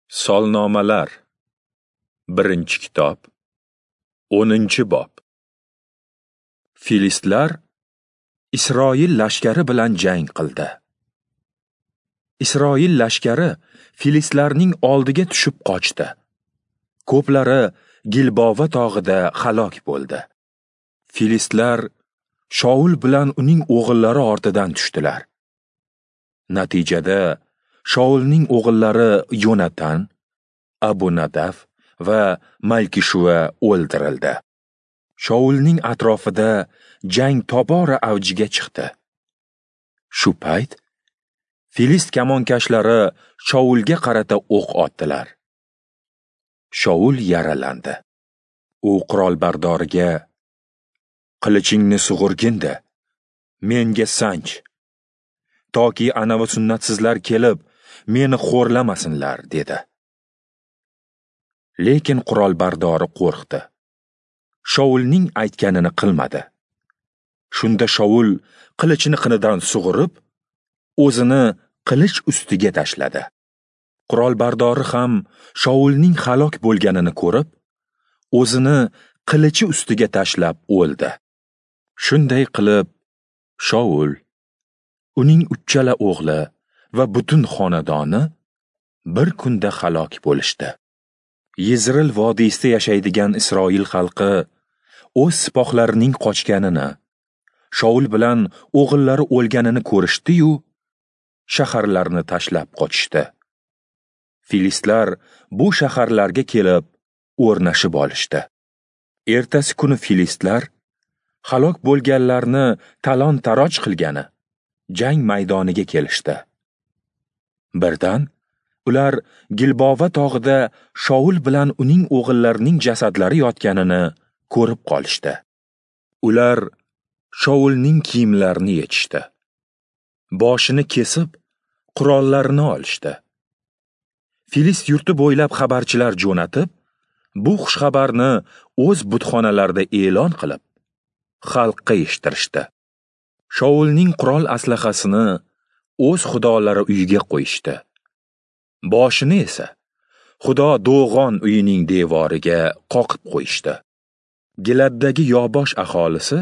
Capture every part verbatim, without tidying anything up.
Solnomalar, birinchi kitob, o'ninchi bob. Filistlar Isroil lashkari bilan jang qildi. Isroil lashkari filistlarning oldiga tushib qochdi. Ko'plari Gilbova tog'ida halok bo'ldi. Filistlar Shaul bilan uning o'g'illari ortidan tushdilar. Natijada Shaulning o'g'illari Yonatan, Abunadaf va Malkishua o'ldirildi. Shaulning atrofida jang tobora avjiga chiqdi. Shu payt Filist kamonkashlari Shaulga qarata o'q otdilar. Shaul yaralandi. U qurolbardoriga: "Qilichingni sug'urgin-da, menga sanch, toki anavi sunnatsizlar kelib meni xo'rlamasinlar" dedi. Lekin qurolbardori qo'rqdi. Shaulning aytganini qilmadi. Shunda Shaul qilichini qinidan sug'urib, o'zini qilich ustiga tashladi. Qurolbardori ham Shaulning halok bo'lganini ko'rib, o'zini qilichi ustiga tashlab o'ldi. Shunday qilib Shaul, uning uchala o'g'li va butun xonadoni bir kunda halok bo'lishdi. Yezril vodiysida yashaydigan Isroil xalqi o'z sipohlarining qochganini, Shaul bilan o'g'illari o'lganini ko'rishdi-yu, shaharlarni tashlab qochishdi. Filistlar bu shaharlarga kelib o'rnashib olishdi. Ertasi kuni filistlar halok bo'lganlarni talon-taroj qilgani jang maydoniga kelishdi. Birdan ular Gilbova tog'ida Shaul bilan uning o'g'illarining jasadlari yotganini ko'rib qolishdi. Ular Shaulning kiyimlarini yechishdi. Boshini kesib, qurollarini olishdi. Filist yurti bo'ylab xabarchilar jo'natib, bu xushxabarni o'z butxonalarida e'lon qilib, xalqqa eshittirishdi. Shaulning qurol aslahasini o'z xudolari uyiga qo'yishdi. Boshini esa Xudo Do'g'on uyining devoriga qoqib qo'yishdi. Giladdagi Yobosh aholisi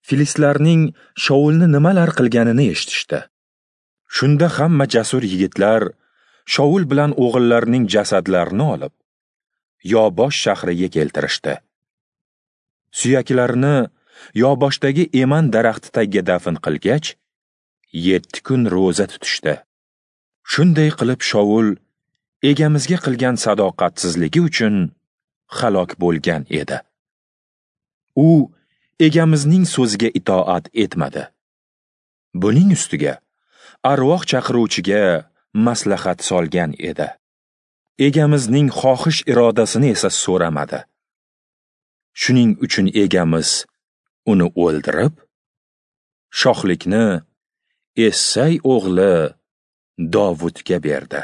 filistlarning Shaulni nimalar qilganini eshitishdi. Shunda hamma jasur yigitlar Shaul bilan o'g'illarining jasadlarini olib, Yobosh shahriga keltirishdi. Suyaklarini Yoboshdagi eman daraxti tagiga dafn qilgach, yetti kun ro'za tutishdi. Shunday qilib Shaul egamizga qilgan sadoqatsizligi uchun halok bo'lgan edi. U egamizning so'ziga itoat etmadi. Buning ustiga arvoh chaqiruvchiga maslahat solgan edi. Egamizning xohish irodasini esa so'ramadi. Shuning uchun egamiz uni o'ldirib, shohlikni Essay o'g'li Dovudga berdi.